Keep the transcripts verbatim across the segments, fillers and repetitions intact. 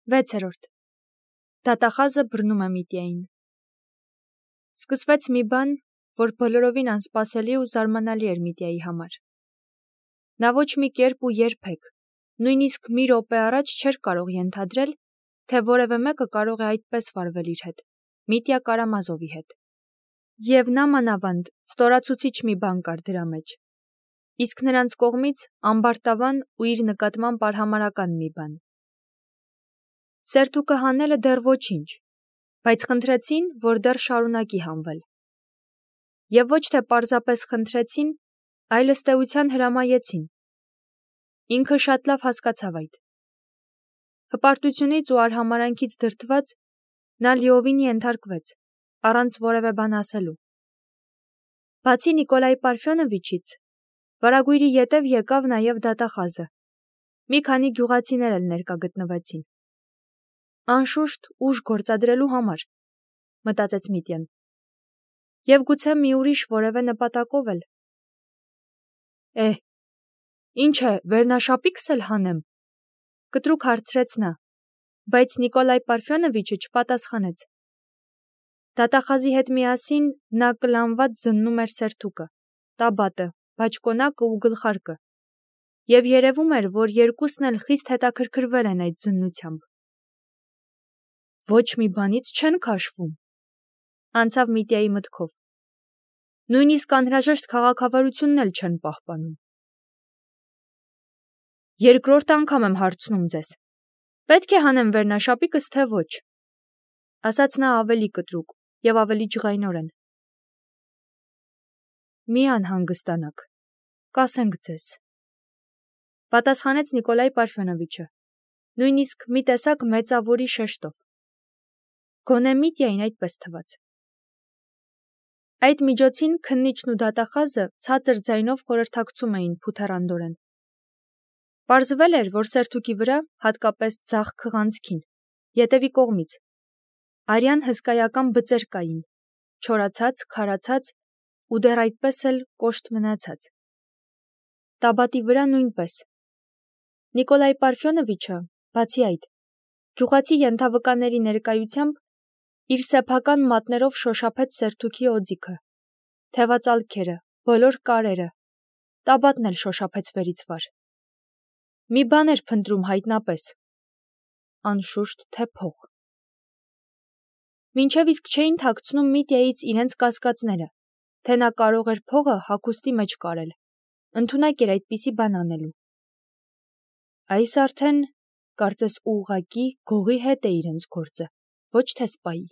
վեցերորդ. Դատախազը բռնում է Միտիային։ Սկսվեց մի բան, որ բոլորովին անսպասելի ու զարմանալի էր Միտիայի համար։ Նա ոչ մի կերպ ու երբեք, նույնիսկ մի րոպե առաջ չէր կարող ենթադրել, թե որևէ մեկը կարող է այդպես վարվել իր հետ, Միտիա Կարամազովի հետ։ Եվ նա մանավանդ ստորացուցիչ մի բան կար դրա մեջ, իսկ նրանց կողմից ամբարտավան ու իր նկատմամբ արհամարհական մի բան։ Սերթուկը հանելը դեռ ոչինչ, բայց խնդրեցին, որ դեռ շարունակի հանվել։ Եվ ոչ թե պարզապես խնդրեցին, այլ ըստ էության հրամայեցին։ Ինքը շատ լավ հասկացավ այդ։ Հպարտությունից ու արհամարհանքից դրդված նա լիովին ենթարկվեց, առանց որևէ բան ասելու։ Բացի Նիկոլայ Պարֆյոնովիչից, վարագույրի ետև եկավ նաև դատախազը։ Մի քանի գյուղացիներ էլ ներկա գտնվեցին։ Անշուշտ ուժ գործադրելու համար, մտածեց Միտյան։ Եվ գուցե մի ուրիշ որևէ նպատակով էլ։ Է, ինչ է, վերնաշապիկս էլ հանեմ, կտրուկ հարցրեց նա, բայց Նիկոլայ Պարֆյոնովիչը չպատասխանեց։ Դատախազի հետ միասին նա կլանված զննում էր սերթուկը, տաբատը, բաճկոնակը ու գլխարկը, և երևում էր, որ երկուսն էլ խիստ հետաքրքրվել են այդ զննությամբ։ Ոչ մի բանից չեն քաշվում, անցավ Միտիայի մտքով։ Նույնիսկ անհրաժեշտ քաղաքավարությունն էլ չեն պահպանում։ Երկրորդ անգամ եմ հարցնում ձեզ. պետք է հանեմ վերնաշապիկս, թե ոչ, ասաց նա ավելի կտրուկ և ավելի ջղայնորեն։ Մի անհանգստանաք, կասենք ձեզ, պատասխանեց Նիկոլայ Պարֆյոնովիչը, նույնիսկ մի տեսակ մեծավորի շեշտով։ Գոնե Միտիային այդպես թվաց։ Այդ միջոցին քննիչն ու դատախազը ցածր ձայնով խորհրդակցում էին փութեռանդորեն։ Պարզվել էր, որ սերթուկի վրա, հատկապես ձախ քղանցքին, ետևի կողմից, արյան հսկայական բծեր կային, չորացած, քարացած ու դեռ այդպես էլ կոշտ մնացած։ Տաբատի վրա նույնպես։ Նիկոլայ Պարֆյոնովիչը, բացի այդ, գյուղացի ենթավկաների ներկայությամբ իր սեփական մատներով շոշափեց սերթուկի օձիքը, թևածալքերը, բոլոր կարերը, տաբատն էլ շոշափեց վերից վար։ Մի բան էր փնտրում հայտնապես, անշուշտ թե փող։ Մինչև իսկ չէին թաքցնում Միտիայից իրենց կասկածները, թե նա կարող էր փողը հագուստի մեջ կարել, ընդունակ էր այդպիսի բան անելու։ Այս արդեն, կարծես ուղղակի գողի հետ է իրենց գործը, ոչ թե սպայի,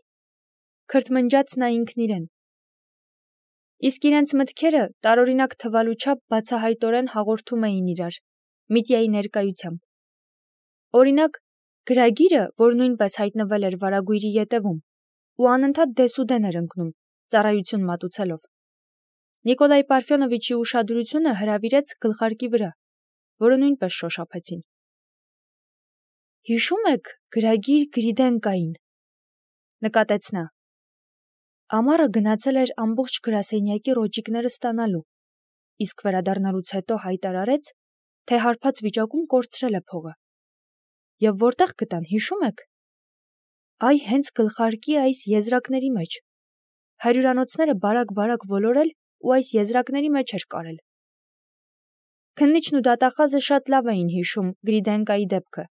քրթմնջաց նա ինքն իրեն։ Իսկ իրենց մտքերը տարօրինակ թվալու չափ բացահայտորեն հաղորդում էին իրար, Միտիայի ներկայությամբ։ Օրինակ, գրագիրը, որ նույնպես հայտնվել էր վարագույրի ետևում, ու անընդհատ դեսուդեն էր ընկնում, ծառայություն մատուցելով։ Նիկոլայ Պարֆյոնովիչի ուշադրությունը հրավիրեց գլխարկի վրա, որը նույնպես շոշափեցին։ Հիշում եք գրագիր Գրիդենկային, նկատեց նա։ Ամառը գնացել էր ամբողջ գրասենյակի ռոճիկները ստանալու, իսկ վերադառնալուց հետո հայտարարեց, թե հարբած վիճակում կորցրել է փողը։ Եվ որտեղ գտան, հիշում եք։ Այ հենց գլխարկի այս եզրակների մեջ։ Հարյուրանոցները բարակ-բարակ ոլորել ու այս եզրակների մեջ էր կարել։ Քննիչն ու դատախազը շատ լավ էին հիշում Գրիդենկայի դեպքը,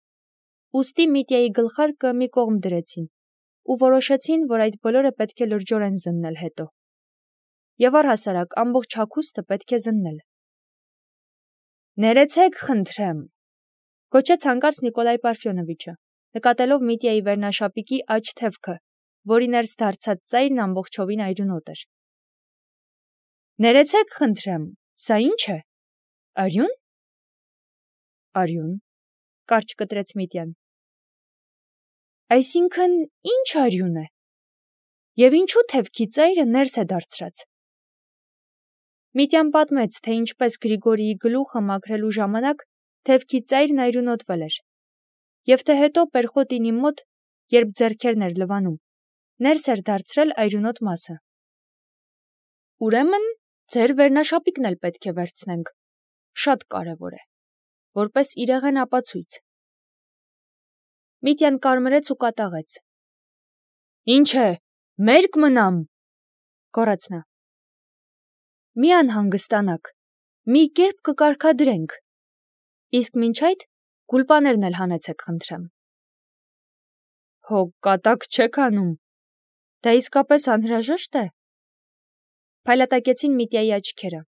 ուստի Միտիայի գլխարկը մի կողմ դրեցին ու որոշեցին, որ այդ բոլորը պետք է լրջորեն զննել հետո։ Եվ առհասարակ ամբողջ հագուստը պետք է զննել։ Ներեցեք, խնդրեմ, գոչեց հանկարծ Նիկոլայ Պարֆյոնովիչը, նկատելով Միտիայի վերնաշապիկի աջ թևքը, որի ներս դարձած ծայրն ամբողջովին այրունոտ էր։ Ներեցեք, խնդրեմ, սա ի՞նչ է։ Արյուն։ Արյուն, կարճ կտրեց Միտյան։ Այսինքն, ի՞նչ արյուն է։ Եվ ինչու թևքի ծայրը ներս է դարձրած։ Միտյան պատմեց, թե ինչպես Գրիգորիի գլուխը մաքրելու ժամանակ թևքի ծայրն այրունոտվել էր, և թե հետո Պերխոտինի մոտ, երբ ձեռքերն էր լվանում, ներս էր դարձրել այրունոտ մասը։ Ուրեմն, ձեր վերնաշապիկն էլ պետք է վերցնենք, շատ կարևոր է, որպես իրեղեն ապացույց։ Միտյան կարմրեց ու կատաղեց։ Ինչ է, մերկ մնամ, գոռաց նա։ Մի անհանգստանաք, մի կերպ կկարգադրենք, իսկ մինչ այդ գուլպաներն էլ հանեցեք խնդրեմ։ Հո կատակ չեք անում, դա իսկապես անհրաժեշտ է։ Փայլատակեցին Միտյայի աչքերը։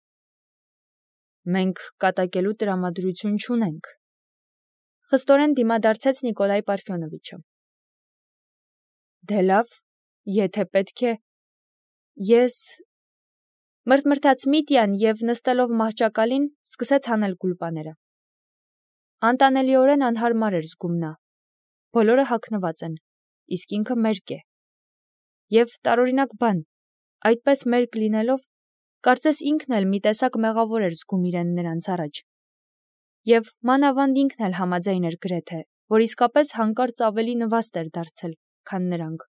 Մենք կատակելու տրամադրություն չունենք, խստորեն դիմադարձեց Նիկոլայ Պարֆյոնովիչը։ Դե լավ, եթե պետք է, ես… Մրթմրթաց Միտյան և նստելով մահճակալին սկսեց հանել գուլպաները։ Անտանելիորեն անհարմար էր զգում նա, բոլորը հագնված են, իսկ ինքը մերկ է։ Եվ տարօրինակ բան, այդպես մերկ լինելով, կարծես ինքն էլ մի տեսակ մեղավոր էր զգում իրեն նրանց առաջ։ Եվ մանավանդ ինքն էլ համաձայն էր գրեթե, որ իսկապես հանկարծ ավելի նվաստ էր դարձել, քան նրանք,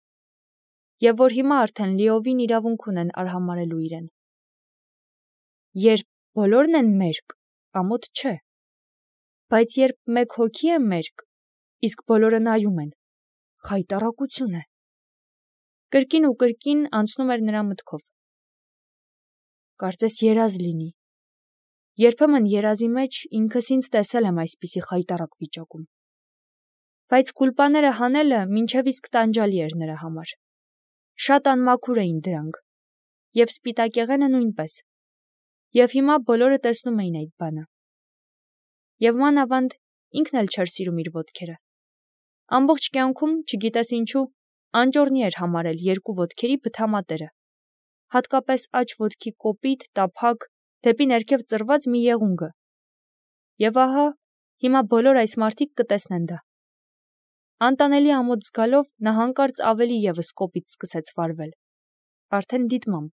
և որ հիմա արդեն լիովին իրավունք ունեն արհամարհելու իրեն։ Երբ բոլորն են մերկ, ամոթ չէ, բայց երբ մեկ հոգի է մերկ, իսկ բոլորը նայում են, խայտառակություն է։ Կրկին ու կրկին անցնում էր նրա մտքով։ Կարծես երազ լինի։ Երբեմն երազի մեջ ինքս ինձ տեսել եմ այսպիսի խայտառակ վիճակում։ Բայց գուլպաները հանելը մինչև իսկ տանջալի էր նրա համար։ Շատ անմաքուր էին դրանք, և սպիտակեղենը նույնպես, և հիմա բոլորը տեսնում էին այդ բանը։ Եվ մանավանդ ինքն էլ չէր սիրում իր ոտքերը։ Ամբողջ կյանքում, չգիտես ինչու, անճոռնի էր համարել երկու ոտքերի բթամատերը, հատկապես աջ ոտքի կոպիտ, տափակ, դեպի ներքև ծռված մի եղունգը։ Եվ ահա, հիմա բոլոր այս մարդիկ կտեսնեն դա։ Անտանելի ամոթ զգալով նա հանկարծ ավելի ևս կոպիտ սկսեց վարվել, արդեն դիտմամբ։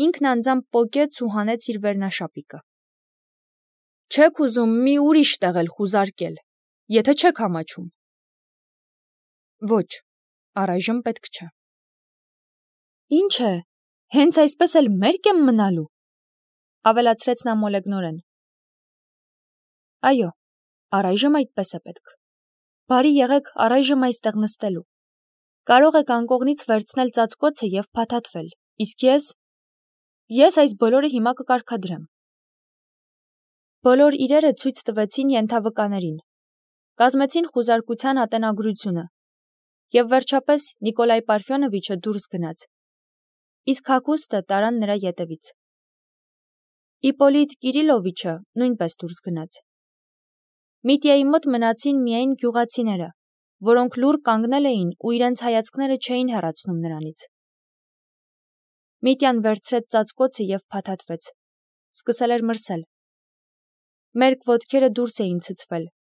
Ինքն անձամբ պոկեց ու հանեց իր վերնաշապիկը։ Չեք ուզում մի ուրիշ տեղ էլ խուզարկել, եթե չեք ամաչում։ Ոչ, առայժմ պետք չէ։ Ինչ է, հենց այսպես էլ մերկ եմ մնալու, ավելացրեց նա մոլեգնորեն։ Այո, առայժմ այդպես է պետք։ Բարի եղեք առայժմ այստեղ նստելու։ Կարող եք անկողնից վերցնել ծածկոցը և փաթաթվել, իսկ ես… Ես այս բոլորը հիմա կկարգադրեմ։ Բոլոր իրերը ցույց տվեցին ենթավկաներին, կազմեցին խուզարկության ատենագրությունը, և վերջապես Նիկոլայ Պարֆյոնովիչը դուրս գնաց, իսկ հագուստը տարան նրա ետևից։ Իպոլիտ Կիրիլովիչը նույնպես դուրս գնաց։ Միտյայի մոտ մնացին միայն գյուղացիները, որոնք լուռ կանգնել էին ու իրենց հայացքները չէին հեռացնում նրանից։ Միտյան վերցրեց ծածկոցը և փաթաթվեց, սկսել էր մրսել։ Մերկ ոտքերը դուրս էին ցցվել,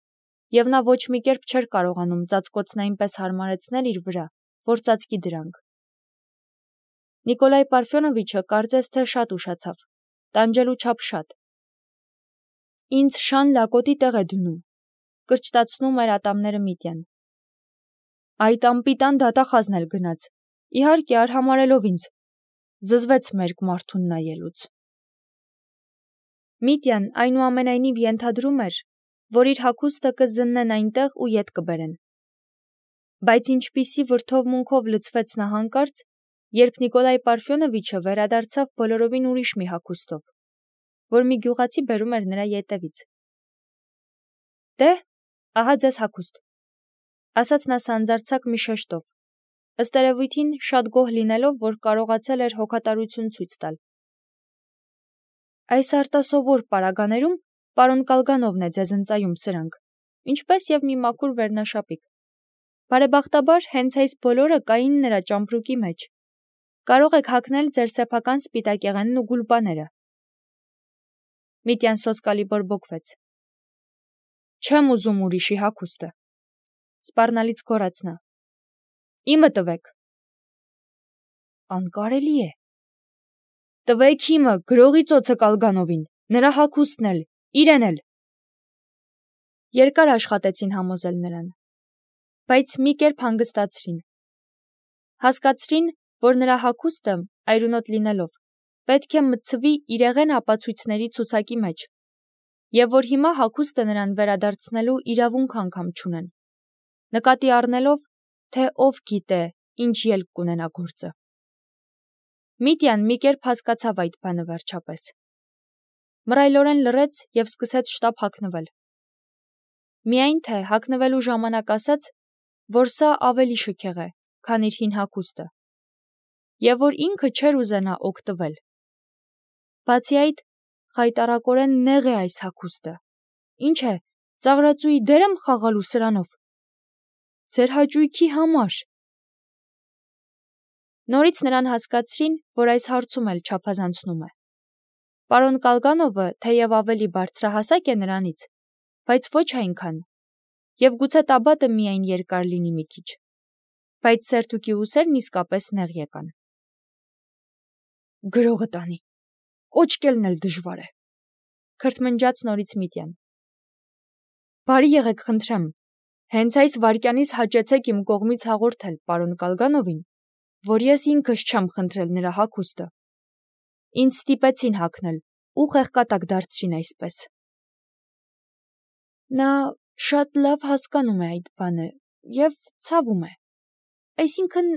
և նա ոչ մի կերպ չէր կարողանում ծածկոցն այնպես հարմարեցնել իր վրա, որ ծածկի դրանք։ Նիկոլայ Պարֆյոնովիչը կարծես թե շատ ուշացավ, տանջելու չափ շատ։ Ինձ շան լակոտի տեղ է դնում, կրճտացնում էր ատամները Միտյան։ Այդ անպիտան դատախազն էլ գնաց, իհարկե արհամարհելով ինձ, զզվեց մերկ մարդուն նայելուց։ Միտյան այնուամենայնիվ ենթադրում էր, որ իր հագուստը կզննեն այնտեղ ու ետ կբերեն։ Բայց ինչպիսի վրդովմունքով լցվեց նա հանկարծ, երբ Նիկոլայ Պարֆյոնովիչը վերադարձավ բոլորովին ուրիշ մի հագուստով, որ մի գյուղացի բերում էր նրա ետևից։ Դե, ահա ձեզ հագուստ, ասաց նա սանձարձակ մի շեշտով, ըստ երևույթին շատ գոհ լինելով, որ կարողացել էր հոգատարություն ցույց տալ։ Այս արտասովոր պարագաներում պարոն Կալգանովն է ձեզ ընծայում սրանք, ինչպես և մի մաքուր վերնաշապիկ։ Բարեբախտաբար հենց այս բոլորը կային նրա ճամպրուկի մեջ։ Կարող եք հագնել ձեր սեփական սպիտակեղենն ու գուլպաները։ Միտյան սոսկալի բորբոքվեց։ Չեմ ուզում ուրիշի հագուստը, սպառնալից գոռաց նա։ Իմը տվեք։ Անկարելի է։ Տվեք իմը, գրողի ծոցը Կալգանովին, նրա հագուստն էլ, իրեն էլ։ Երկար աշխատեցին համոզել նրան, բայց մի կերպ հանգստացրին։ Հասկացրին, որ նրա հագուստը, այրունոտ լինելով, պետք է մտցվի իրեղեն ապացույցների ցուցակի մեջ, և որ հիմա հագուստը նրան վերադարձնելու իրավունք անգամ չունեն։ նկատի առնելով, թե ով գիտե, ինչ ելք կունենա գործը։ Միտյան մի կերպ հասկացավ այդ բանը վերջապես։ Մռայլորեն լռեց և սկսեց շտապ հագնվել։ Միայն թե հագնվելու ժամանակ ասաց, որ սա ավելի շքեղ է, քան իր հին հագուստը, և որ ինքը չէր ուզենա օգտվել։ Բացի այդ, խայտառակորեն նեղ է այս հագուստը։ Ինչ է, ծաղրածուի դեր եմ խաղալու սրանով։ Ձեր հաճույքի համար։ Նորից նրան հասկացրին, որ այս հարցում էլ չափազանցնում է։ Պարոն Կալգանովը թեև ավելի բարձրահասակ է նրանից, բայց ոչ այնքան, և գուցե տաբատը միայն երկար լինի մի քիչ, բայց սերթուկի ուսերն իսկապես նեղ եկան։ Գրողը տանի, կոչկելն էլ դժվար է, քրթմնջաց նորից Միտյան։ Բարի եղեք, խնդրեմ, հենց այս վայրկյանից հաճեցեք իմ կողմից հաղորդել պարոն Կալգանովին, որ ես ինքս չեմ խնդրել նրա հագուստը։ Ինձ ստիպեցին հագնել ու խեղկատակ դարձրին այսպես։ Նա շատ լավ հասկանում է այդ բանը և ցավում է։ Այսինքն,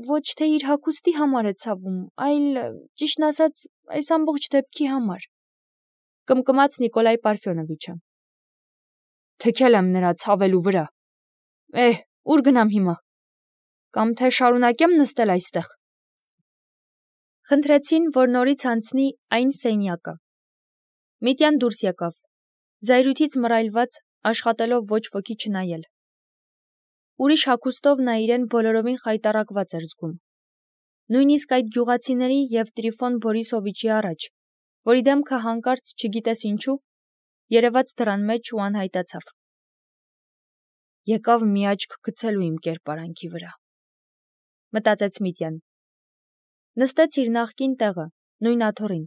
ոչ թե իր հագուստի համար է ցավում, այլ, ճիշտն ասած, այս ամբողջ դեպքի համար, կմկմաց Նիկոլայ Պարֆյոնովիչը։ Թքել եմ նրա ցավելու վրա։ Էհ, ուր գնամ հիմա։ Կամ թե շարունակեմ նստել այստեղ։ Խնդրեցին, որ նորից անցնի այն սենյակը։ Միտյան դուրս եկավ, զայրույթից մռայլված, աշխատելով ոչ ոքի չնայել։ Ուրիշ հագուստով նա իրեն բոլորովին խայտառակված էր զգում։ Նույնիսկ այդ գյուղացիների և Տրիֆոն Բորիսովիչի առաջ, որի դեմքը հանկարծ չգիտես ինչու, երևաց դռան մեջ ու անհայտացավ։ Եկավ մի աչք գցելու իմ կերպարանքի վրա, մտածեց Միտյան։ Նստեց իր նախկին տեղը, նույն աթոռին։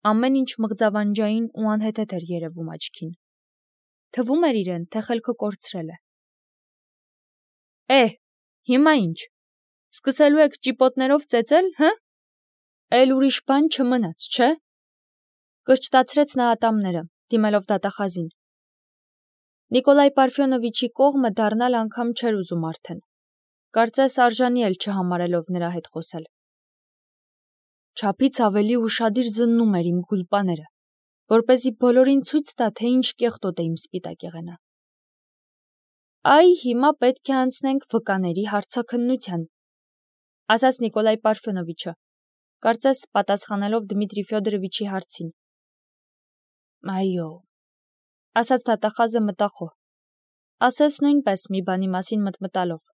Ամեն ինչ մղձավանջային ու անհեթեթ էր երևում աչքին։ Թվում էր իրեն, թե խելքը կորցրել է։ Է, հիմա ինչ, սկսելու եք ճիպոտներով ծեծել, հը։ Էլ ուրիշ բան չմնաց, չէ։ Կրճտացրեց նա ատամները, դիմելով դատախազին։ Նիկոլայ Պարֆյոնովիչի կողմը դառնալ անգամ չէր ուզում արդեն։ Կարծես արժանի էլ չհամարելով նրա հետ խոսել։ Չափից ավելի ուշադիր զննում էր իմ գուլպաները, որպեսզի բոլորին ցույց տա, թե ինչ կեղտոտ է իմ սպիտակ եղենը։ Այ հիմա պետք է անցնենք վկաների հարցաքննության, ասաց Նիկոլայ Պարֆյոնովիչը, կարծես պատասխանելով Դմիտրի Ֆյոդորովիչի հարցին։ Այո, ասաց դատախազը մտախոհ, ասես նույնպես մի բանի մասին մտմտալով։